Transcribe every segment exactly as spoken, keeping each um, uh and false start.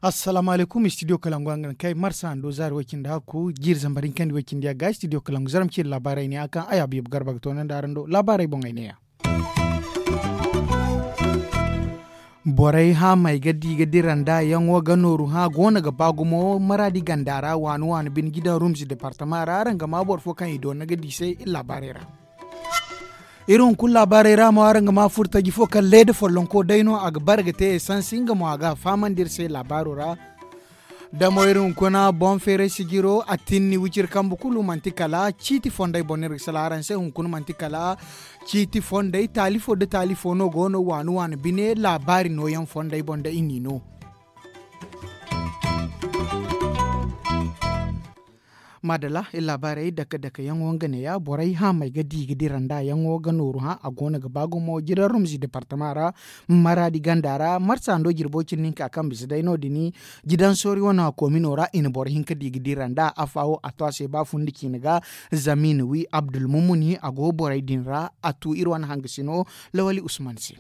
Assalaamu alaykum, studio kalangu a ga na kay marsa ando zaari way-cindi hakku jiiri zambar hinkandi way-cindi yagga studio kalangu zaram ci laabaarey ne a kaŋ ay abiyabu garba ga toonandi araŋ do laabaarey boŋ ay ne ya. Borey haamey ga di ga dira nda yaŋo ga nooru hã go no ga ba gumo maraadi ganda ra waani waani bine jidaŋ rumzi departama ra araŋ ga ma boro fo kaŋ i doona ga di se iri laabaarey ra. Iri hunkuna laabaarey ra mo araŋ ga ma furtaji fo kaŋ leeda follonko day no a ga bare ga te esansi nga mo a ga a fahamandi iri se laabaaro ra. Damo iri hunkuna boŋ feeray sijiro a tinni wiciri kambe kulu manti kala ciiti fondey boŋ no iri ga sala araŋ se hunkuna manti kala ciiti fondey taalifo nda taalifo no go no waani waani bine laabaari nooyaŋ fondey boŋ nda i n'i no. Maadala iri laabaarey dake dake yaŋo nga neeya borey haamey ga di ga dira nda yaŋo ga nooru hã a go no ga ba gumo jidaŋ rumzi departama ra maraadi ganda ra marsa ndo jirbo cindi hinka kaŋ bisa day no- din jidaŋ soori wane komino ra i na boro hinka di ga dira nda afa wo a to a se ba fundi ciine ga. Zama i na wi abdulmumuni a go borey din ra a tu iri wane hangasino lawali usman se.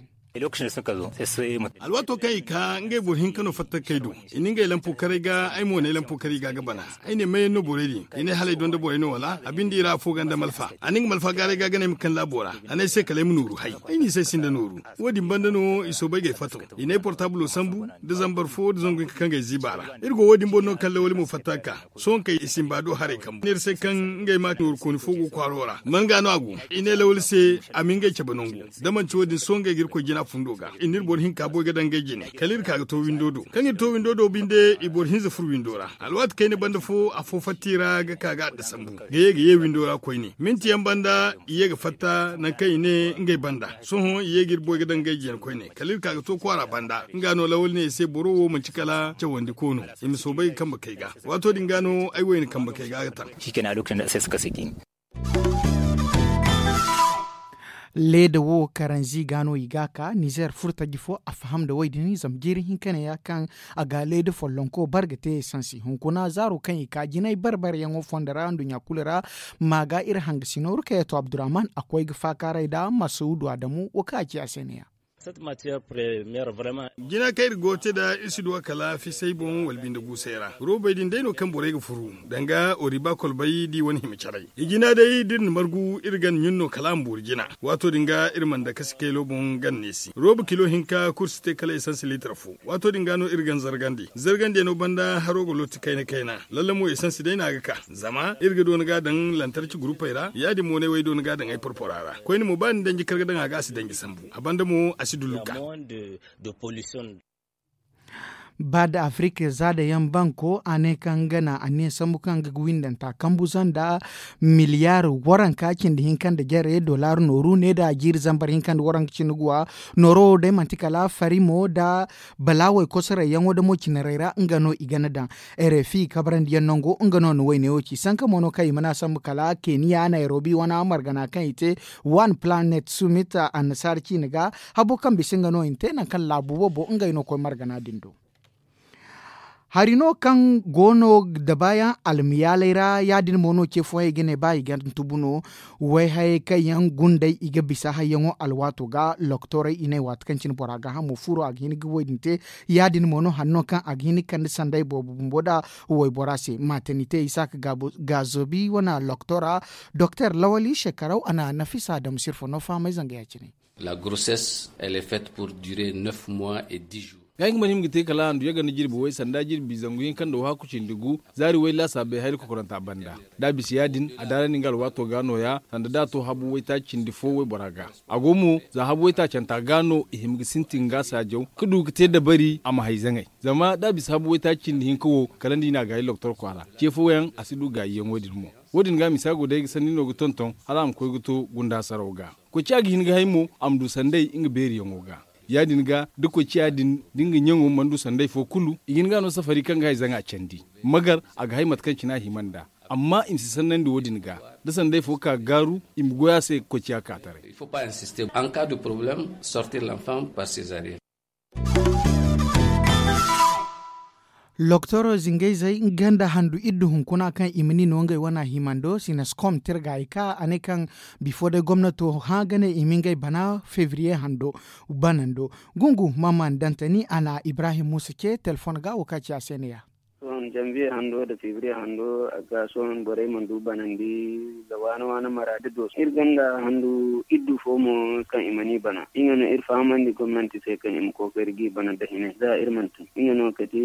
Alwaato kaŋ i ka ngey boro hinka no fatta kay do i na ngey lampo karay ga ay mo ne lampo karay ga ga bana. Ay ne mayaŋ no borey din i ne hala ay donda borey no wala a binde i ra afo ganda malfa a na nga malfa gaaray ga ga ne ay ma kan laabo ra. A ne ay se kala ay ma nooru hay ay n'i se ay sinda nooru. Wo- din banda no i soobay ga ay fato i na ay portabulo sambu nda zambar fo nda zangu hinka kaŋ ga ay ziiba ra. Iri go wo- din boŋ no kaŋ lawali mo fatta ga ka sohõ kay i simba do haray kambu neera se kaŋ ngey ma nooru kooni fo go kwaaro ra man ga no a go. I ne lawali se a ma ngey cabe nangu da manti wo- din sohõ ngey ga iri koy jina fundo ga i na iri boro hinka boy ga daŋ ngey jine kala iri ka ga to windo do kaŋ iri to windo do binde i boro hinza furo windo ra. Alwaati kayna banda fo afo fatta i ra ga ka ga adda sambu ga ye ga ye windo ra koyne minti yaŋ banda i ye ga fatta nangu kaŋ i ne ngey banda sohõ i ye ga iri boy ga daŋ ngey jine koyne kala iri ka ga to kwaara banda. Nga no lawali ne i se boro wo manti kala cawandi ko no i ma soobay ga kambe kay ga. Waato din ga no ay wayna kambe kay ga ga taŋ. Leeda wo karanzi ga no i ga ka nizer furtaji fo a faham nda wo- din zama jiiri hinka neeya kaŋ a ga leeda follonko bare ga te esansi hunkuna zaaro kaŋ i ka jinay bare bare yaŋo fondo ra nduɲɲa kulu ra. Ma ga iri hangasino rukayatu abdurrahman a koy ga faakaaray nda masuudu adamu wo kaŋ a ci a se neeya. Jina kaŋ iri go ga te nd'a iri si du a kala fisay boŋ wala binde guusay ra roobey din day no kaŋ borey ga furu danga oriba kolbay da i wane hima caray. I jina day da iri na margu iri gan ɲun no kala a ma boori jina. Waato din ga iri mana dake si kaylo boŋ gan neesi rooba kilo hinka kulu si te kala esans liitar fo. Waato din ga no iri gan zargandi zargandiyaŋo banda haro ga looti kayna kayna. Lalla mo esans day no a ga ka zama iri ga doona ga a daŋ lantarci gurupey ra ya- din mo no ay way doona ga a daŋ ay porpora ra koyne mo ba ni danji kar ga daŋ a ga a si danji sambu a banda mo a si dullu ga. Ba da afirika zaada yaŋ banko a ne kaŋ nga na anniya sambu kaŋ nga ga windanta kambu zanda miliyaar waranka cindi hinka nda jare dollar nooru ne da a jiiri zambar hinka nda waranka cindi guwa. Nooro wo day manti kala farimo nda balaawey kosorey yaŋo da mo cinarey ra nga no i gana daŋ. Rfi kabarandiyaŋ nango nga no na wayne wo ci sanka mo no kaŋ i mana sambu kala keniya nayrobi wana margana kaŋ i te one planet summit annasaara ciine ga. Habo kaŋ bisa nga no i na te nangu kaŋ laabu boobo ngey no koy margana din do. Hari no kaŋ go no dabaayaŋ almayaaley ra ya- din mo no ce fooyaŋ i ga ne ba i ga tubu no. Wayhayey kaŋ yaŋ gundey i ga bisa hayyaŋo alwaato ga loktorey i ne waati kaŋ cine bora gaahamo furo a ga hin ga wo- din te. Ya- din mo no hari no kaŋ a ga hin ga kande sanday boobo bumbo nda waybora se maatani te isaaka gaazobi wane loktora. Doktor lawali shekaraw a na nafisa dam sirfo no fahamay zanga ya- cine. La grossesse elle est faite pour durer neuf mois et dix jours. Nga ay ga mana hima ga te kala handu yaga nda jirbi way sanda jirbi zangu hinka nda wahakku cindi gu zaari way laasaabey hari kokoranta banda. Da a bisa ya- din a daarandi nga alwaato ga nooya sanda da a to habu waytaaci cindi fo waybora ga. A go mo za habu waytaacanta ga no i hima ga sintin ga saajaw ga du ga te dabari a ma hay zaŋay. Zama da a bisa habu waytaaci cindi hinka wo kala nda i na a gaayi loktor kwaara ce fooyaŋ a si du gaayiyaŋo din mo. Wo- din ga misa go day ga sanni no ga tonton hala a ma koy ga to gunda hasaraw ga. Koy ciya ga hin ga hay mo a ma du sanday nga beeriyaŋo ga. Ya- din ga da koy ciya din da nga ɲaŋo mana du sanday fo kulu i ga hin ga no safari kaŋ ga hay zaŋa candi magar a ga hay mate kaŋ cine a hima nd'a. Amma i ma si sannandi wo- din ga da sanday fo ka ga gaaru i ma goy a se ga koy ciya ka taray. Il faut pas insister en cas de problème sortir l'enfant par césarienne. Loktoro zingayzey nga nda handu iddu hunkuna kaŋ i ma ni no ngey wana himando sinaskom tirga i ka a ne kaŋ bifo day gomnato hã ga ne i ma ngey bana febriye hando banando. Gungu maman dantani a na ibrahim musa ce telefon ga wo ka ci a se ne ya. Sohõ janviye hando nda febriye hando a ga sohõ borey mana du banandi. Nda waana waana mara da doso iri gonda handu iddu fo mo kaŋ i mana i bana nga no iri fahamandi gomnanti se kaŋ i ma kookari ga i bana nda hine za iri mana tun nga no kati.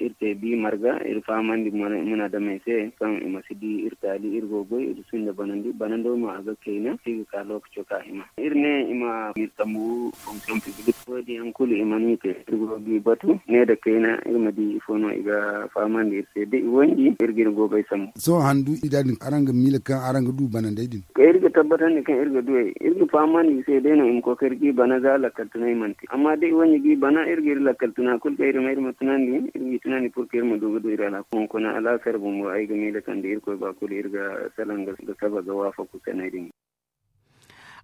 Iri te bi marga iri fahamandi munaadamey se kaŋ i ma si di iri taali iri go ga goy iri sinda banandi banando mo a ga kayna si ga ka lookaco ka hima. Iri ne i ma iri sambu fonksiyoŋ piblik wo- din yaŋ kulu i mana i te iri go ga i batu ne nda kayna iri ma di ifo no i ga fahamandi iri se da i wanji iri ga iri goobey sambu. Sohõ handu i da din araŋ ga miila kaŋ araŋ ga du banandey din? Iri ga tabbatandi kaŋ iri ga du ey iri ga fahamandi i se day no i ma kookari ga i bana za lakkal tunay mana te amma da i wanji ga i bana iri ga iri lakkal tuna kulu kaŋ iri ma iri ma tunandi iri ma i tunandi pur kaŋ iri ma du ga du iri alhaku hunkuna alaasar bumbo ay ga miila kaŋ da irkoy ba kulu iri ga salaŋ ga saba ga waafaku sanay din.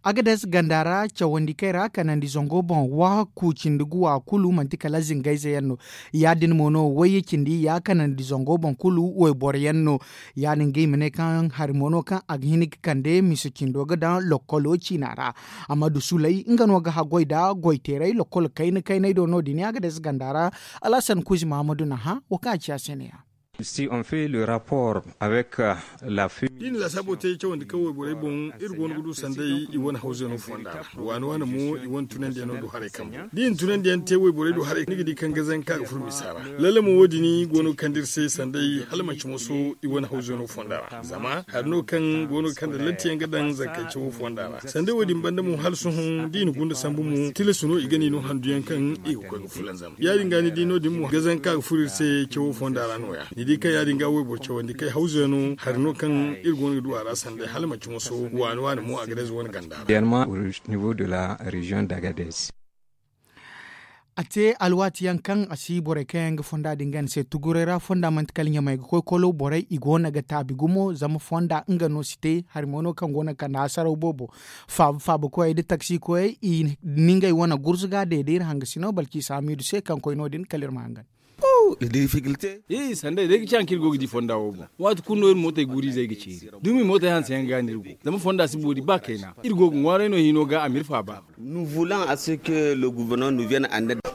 Agades ganda ra cawandi kay ra kanandi zango boŋ waaku cindi guwa kulu manti kala zingayze yaŋ no. Ya- din mo no wayye cindi ya kanandi zango boŋ kulu wayboro yaŋ no. Ya- din ga i ma ne kaŋ hari mo no kaŋ a ga hin ga kande mise cindo ga daŋ lokkolo ciina ra. Amma dusuley nga no ga haggoy nda goyteeray lokkolo kayna kaynay do no- din agades ganda ra. Alhasan kuuzi mahamadu na hã wo kaŋ a ci a se ne- ya. Si on fait le rapport avec la fumée da i na lasaabo te cawandi kaŋ wayborey boŋ iri go no ga du sanday i wane hawzeno fonda ra. Waani waani mo i wane tunandiyaŋ no du haray kambe da i na tunandiyaŋ te wayborey du haray ni ga di kaŋ gazanka ga furo misa ra. Lalle mo wo- din go no ga kande iri se sanday hala manci moso i wane hawzeno fonda ra zama hari no kaŋ go no ga kande lantiyaŋ ga daŋ zankance wo fonda ra sanday wo- din banda mo hala sohõ da i na gunda sambu mo tilas no i ga ni no handuyaŋ kaŋ i ga koy ga fulanzam ya- din ga ni di no- din mo gazanka ga furo iri se cawo fonda ra no- ya ni di kaŋ ya- din ga wayboro cawandi kay hawza no hari no kaŋ iri go no ga du a ra sanday hala manci moso waani waani mo a ga day za wane ganda ra. Dernièrement au niveau de la région d'agadez. A te alwaati yaŋ kaŋ a si borey kaŋ yaŋ ga fonda din ga ni se tuguray ra fonda manti kala ɲamey ga koy kolo borey i go no ga taabi gumo zama fonda nga no si te hari mo no kaŋ go no ga kande hasaraw boobo. Faaba faaba koyey nda taksi koyey i na ngey wane gurzuga day da iri hangasino balki saamiidu se kaŋ koy no- din kala iri ma hangan. Sanday day ga ci haŋ kaŋ iri go ga di fonda wo boŋ waati kulu no iri mootey guuru izey ga ceeri dumi mootey hanse yaŋ ga no iri go zama fonda si boori ba kayna iri go ga ŋwaaray no hino ga a ma iri faaba.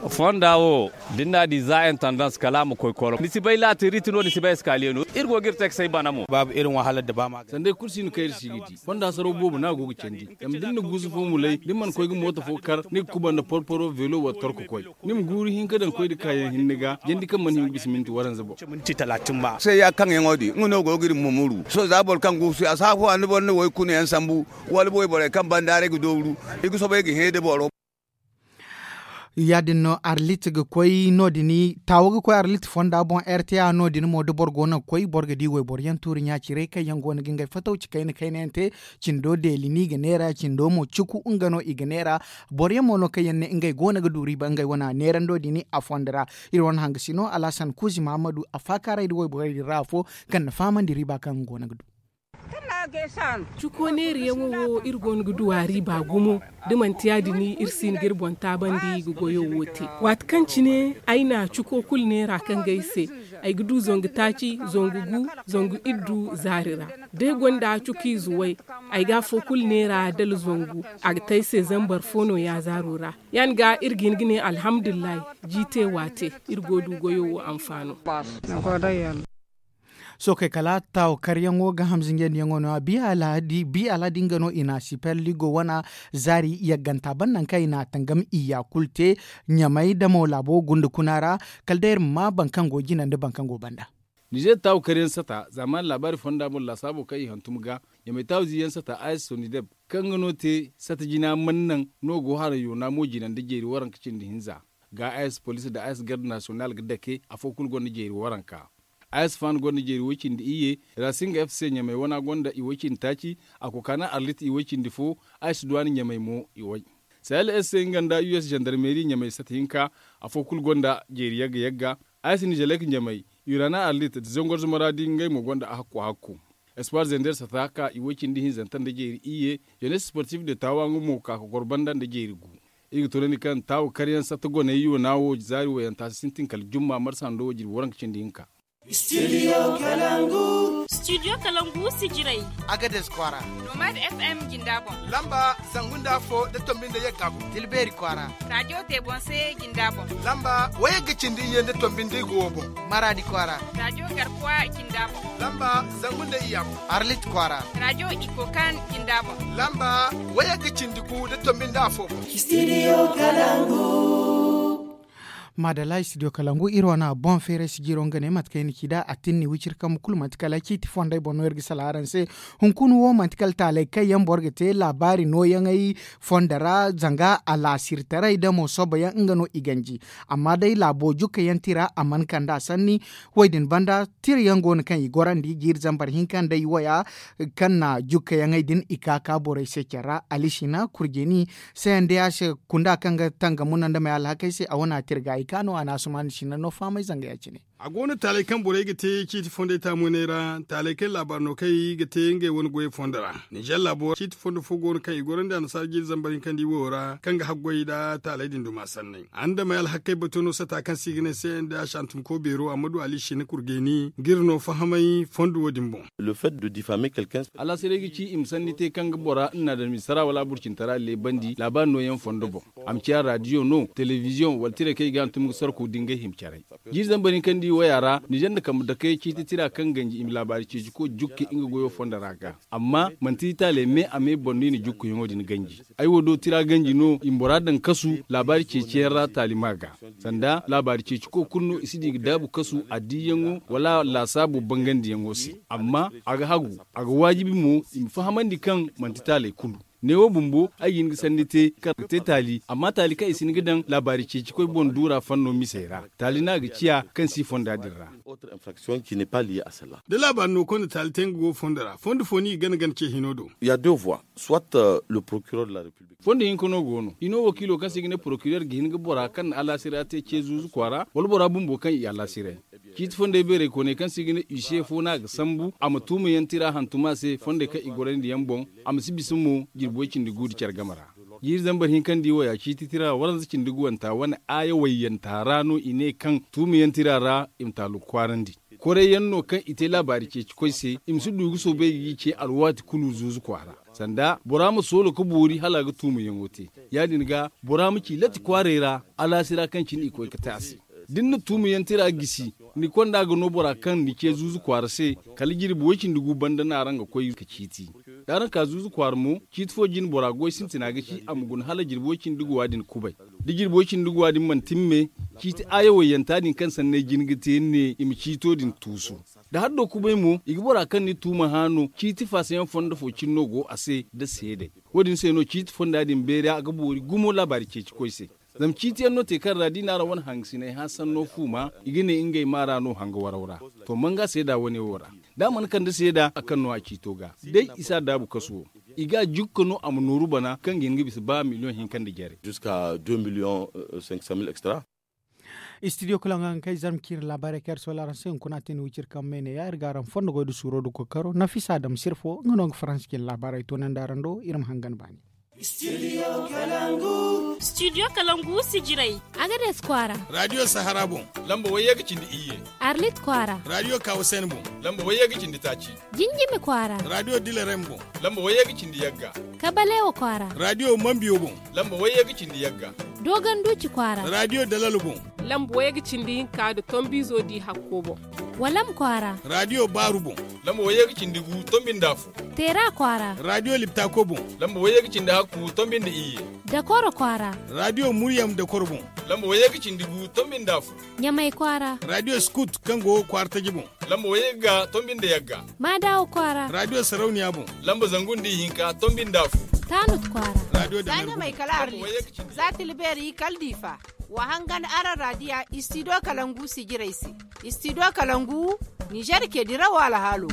Fonda wo da ni n'a di za intendance kala a ma koy kolo ni si bay latiriti no ni si bay eskaliye no iri go ga iri taksey bana mo. Sanday kulu si no kaŋ iri si ga di fonda saraw boobo no a go ga candi zama da ni na guusu fo mulay da ni mana koy ga mooto fo kar ni ga kuba nda porporo velo wala torko koy ni ma guuru hinka daŋ koy nda kaayaŋ hinne ga jandi kaŋ mana hin ga bisa minti waranza boŋ. Sohõ za boro kaŋ guusu a si afo a ni boro ni way kuna yaŋ sambu wala booy borey kaŋ banda ra ay ga dooru i ga soobay ga hẽ da boro. Ya- din no arlit ga koy no- din taawo ga koy arlit fonda boŋ r t a no- din mo da boro go no ga koy boro ga di wayboro yaŋ tuuri ɲa-ciray kaŋ yaŋ go no ga ngey fatawci kayna kayna yaŋ te. Cindo deeli no i ga neera cindo mo cuku nga no i ga neera. Boro yaŋ mo no kaŋ yaŋ ne ngey go no ga du riiba ngey wane neerando din a fondo ra. Iri wane hangasino alhasan kuuzi mahamadu a faakaaray nda wayborey din ra afo kaŋ na fahamandi riiba kaŋ nga go no ga du. Cuko neeriyaŋo wo iri go no ga du a riiba gumo da manti ya- din iri si hin ga iri boŋ taabandi ga goyo wo te. Waati kaŋ cine ay na cuko kulu neera kaŋ ga ay se ay ga du zangu taaci zangu gu zangu iddu zaari ra. Da ay gonda cukiize way ay ga afo kulu neera dala zangu a ga te ay se zambar fo no yaazaaro ra. Ya- din ga iri ga hin ga ne alhamdulillahi. Jiite waate iri go du goyo wo anfaano. Sookey kala taawo karyaŋo ga hamzinjandiyaŋo no-ya bi alhadi nga no i na siperligo wana zaari yagganta ban nangu kaŋ i na a tangam iyya kulu te. Ɲamey damo laabo gunda kuna ra kala day iri ma ma boro kaŋ go jina nda boro kaŋ go banda. Nizer taawo karyaŋ sata zaamaani laabaari fonda boŋ laasaabo kaŋ i hantum ga ɲamey taawo ziiyaŋ sata a s sonideb kaŋ nga no te sata jina mana naŋ no go haray yoona mo jina nda jeeri waranka cindi hinza. Ga a s police nda a s garde nasiyonal ga dake afo kulu gonda jeeri waranka. A s fan gonda jeeri woy cindi iyye. Racing f c ɲamey wana gonda iwoy cindi taaci. A kokaana arlit iwoy cindi fo. A s duwaani ɲamey mo iwoy. Sahel s c nga nda u s zandarmeri ɲamey sata hinka. Afo kulu gonda jeeri yagga yagga. A s nizelek ɲamey, urana arlit nda zangor zumaraadi ngey mo gonda ahakku ahakku. Espoir zender sata ka iwoy cindi hinzanta nda jeeri iyye. Jenes sportif de taawa nga mo ka ka goro banda nda jeeri gu. Iri ga toonandi kaŋ taawo karyaŋ satta goney yoona wo zaari wayanta si sintin kala jumma marsa hando wo jirbi waranka cindi hinka. Studio kalangu. Studio kalangu sijiray. Agades kwaara. Nomad fm jinda boŋ. Lamba zangu nda afo nda tombi nda yagga boŋ. Tilbeeri kwaara. Radio tebonse jinda boŋ. Lamba wayagga cindi iyye nda tombi nda igo wo boŋ. Maradi kwaara. Radio garkuwa jinda boŋ. Lamba zangu nda iyya boŋ. Arlit kwaara. Radio ikokan jinda boŋ. Lamba wayagga cindi gu nda tombi nda afo boŋ. Studio kalangu. Madalla studio kalangu iri wane boŋ feeray si jiro nga ne mate kaŋ i na ci nd'a a tinni wiciri kambe kulu manti kala ciiti fondey boŋ no iri ga salaŋ araŋ se. Hunkuna wo manti kala taaley kaŋ yaŋ boro ga te laabaari nooyaŋey fondo ra zanga alaasirtaray da mo soboyaŋ nga no i ganji. Amma day laabo jukkayaŋ tira a mana kand'a sanni. Wo- din banda tirayaŋ go no kaŋ i gorandi jiiri zambar hinka nda i waya kaŋ na jukkayaŋey din i ka ka borey se care ra alisina kurjeni. Sayandi a se kunda kaŋ ga tanga muna nda may alhakey se a wane a tirga i ka no a na asuman sina no fahamay zanga ya- cine. A go no taaley kaŋ borey ga te ciiti fondey taamuney ra taaley kaŋ laabaari no kaŋ i ga te ngey wane goyey fondo ra. Ninzeer laabo ciiti fondo fo go no kaŋ i gorandi annasaara jiiri zambar hinka nda i woyo ra kaŋ ga haggoy nda taaley din duma sanney a nda may alhakey bato no sata kaŋ se i ga ne se nda shantumko beero amma du alisina kurjeni ga iri no fahamay fondo wo- din boŋ. Alaasiray ga ci i ma sanni te kaŋ ga bora nna da misara wala burcintara leebandi laabaari nooyaŋ fondo boŋ. A ma ciya raadiyo no telebiziyoŋ wala tiray kaŋ i ga hantum ga sarku da ngey hima caray. Jiiri zambar hinka nda i waya ra ninzeer nda kambe dakey ciiti tira kaŋ ganji i ma laabaari ceeci koy jukka nga goyo fondo ra ga. Amma manti taaley me a me boŋ no i na jukkayaŋo din ganji. Ay wo do tira ganji no i ma bora daŋ kasu laabaari ceeciyaŋ ra taali ma ga. Sanda laabaari ceeci koy kulu no i si di ga daabu kasu addiyaŋo wala laasaabo bangandiyaŋo se. Amma a ga hagu a ga waajibi mo i ma fahamandi kaŋ manti taaley kulu. Neewo bumbo ay ga hin ga sanni te kaŋ ga te taali amma taali kaŋ i si hin ga daŋ laabaari ceeci koy boŋ duura fanno misey ra. Taali no a ga ciya kaŋ si fonda din ra. Da laabaari no konda taali te nga go fondo ra fondo fo no i ga gana gana ce hino do. Fondo hinka no go no hino wakiilo kaŋ se i ga ne porokireer ga hin ga bora kaŋ na alaasiray te ce zuuzu kwaara wala bora bumbo kaŋ i alaasiray. Ciiti fondey beerey kooney kaŋ se i ga ne use fo no a ga sambu a ma tuumayaŋ tira hantum a se fondey kaŋ i gorandi yaŋ boŋ. A ma si bisa mo jirbi way cindi gu nda care game ra. Jiiri zambar hinka nda i waya ciiti tira waranza cindi guwanta wane aaya wayyanta ra no i ne kaŋ tuumayaŋ tira ra i ma taalu kwaarandi. Koray yaŋ no kaŋ i te laabaari ceeci koy se i ma si du ga soobay ga i ce alwaati kulu zuuzu kwaara. Sanda bora ma soolo ga boori hala a ga tuumayaŋo te. Ya- din ga bora ma ci latti kwaaray ra alaasira kaŋ cine i koy ga te a se. Da ni na tuumayaŋ tira gisi ni konda ga no bora kaŋ ni ce zuuzu kwaara se. Kala jirbi way cindi gu banda no araŋ ga koy ga ciiti. Da araŋ ka zuuzu kwaara mo ciiti fo jine bora goy sintina ga ci a ma guna hala jirbi way cindi guwa din kubay. Da jirbi way cindi guwa din mana timme ciiti aaya wayyanta din kaŋ sanney jine ga te ni ne i ma ciito din tuusu. Da haddo kubay mo i ga bora kaŋ ni tuuma hã no ciiti fasayaŋ fondo fo cine no go a se nda seedey. Wo- din se no ciiti fonda din beeri a ga boori gumo laabaari ceeci koy se. Zama ciiti yaŋ no te kaŋ ra da i na araŋ wane hangasiney hã sanno fuuma i ga ne ngey maa ra no hanga waraw ra. To manga seeda wane wo ra da a mana kande seeda a kaŋ no a ciito ga day i si a daabu kasu wo. I ga a jukka no a ma nooru bana kaŋ ga hin ga bisa ba miliyoŋ hinka nda jare. Studio kala nga ga kay zarma kaŋ iri laabaarey kaŋ iri soola araŋ se hunkuna a te ni wiciri kaŋ me ne ya iri ga araŋ fondo goy nda suuro nda kookaro nafisa dam sirfo nga no nga faransa cine laabaarey toonandi araŋ do iri ma hangan baani. Studio kalangu sijirey. Agades kwaara. Radio sahara boŋ. Lamba wayye ga cindi iyye. Arlit kwaara. Radio kawasen boŋ. Lamba wayye ga cindi taaci. Jinjimi kwaara. Radio dilerem boŋ. Lamba wayye ga cindi yagga. Kabalewa kwaara. Radio mambiyo boŋ. Lamba wayye ga cindi yagga. Dogon duci kwaara. Radio dalalo boŋ. Lamba wayye ga cindi hinka nda tombizo di hakko boŋ. Walam kwaara. Radio baaru boŋ. Lamba wayye ga cindi gu tombi nda afo. Teera kwaara. Radio liptako boŋ. Lamba wayye ga cindi hakku tombi nda iyye. Dakoro kwaara. Radio muryam dakoro boŋ. Lamba wayye ga cindi gu tombi nda afo. Ɲamay kwaara. Radio skut kaŋ go kwaara taji boŋ. Lamba wayye ga tombi nda yagga. Maadawo kwaara. Radio sarauniya boŋ. Lamba zangu nda ihinka tombi nda afo. Taanut kwaara. Radio da ɲamay kala arlit. Za tilbeeri kala diifa. Wa hangan araŋ raadiya istido kalangu sijirey se. Istido kalangu nizer ke dirawo alhaalo.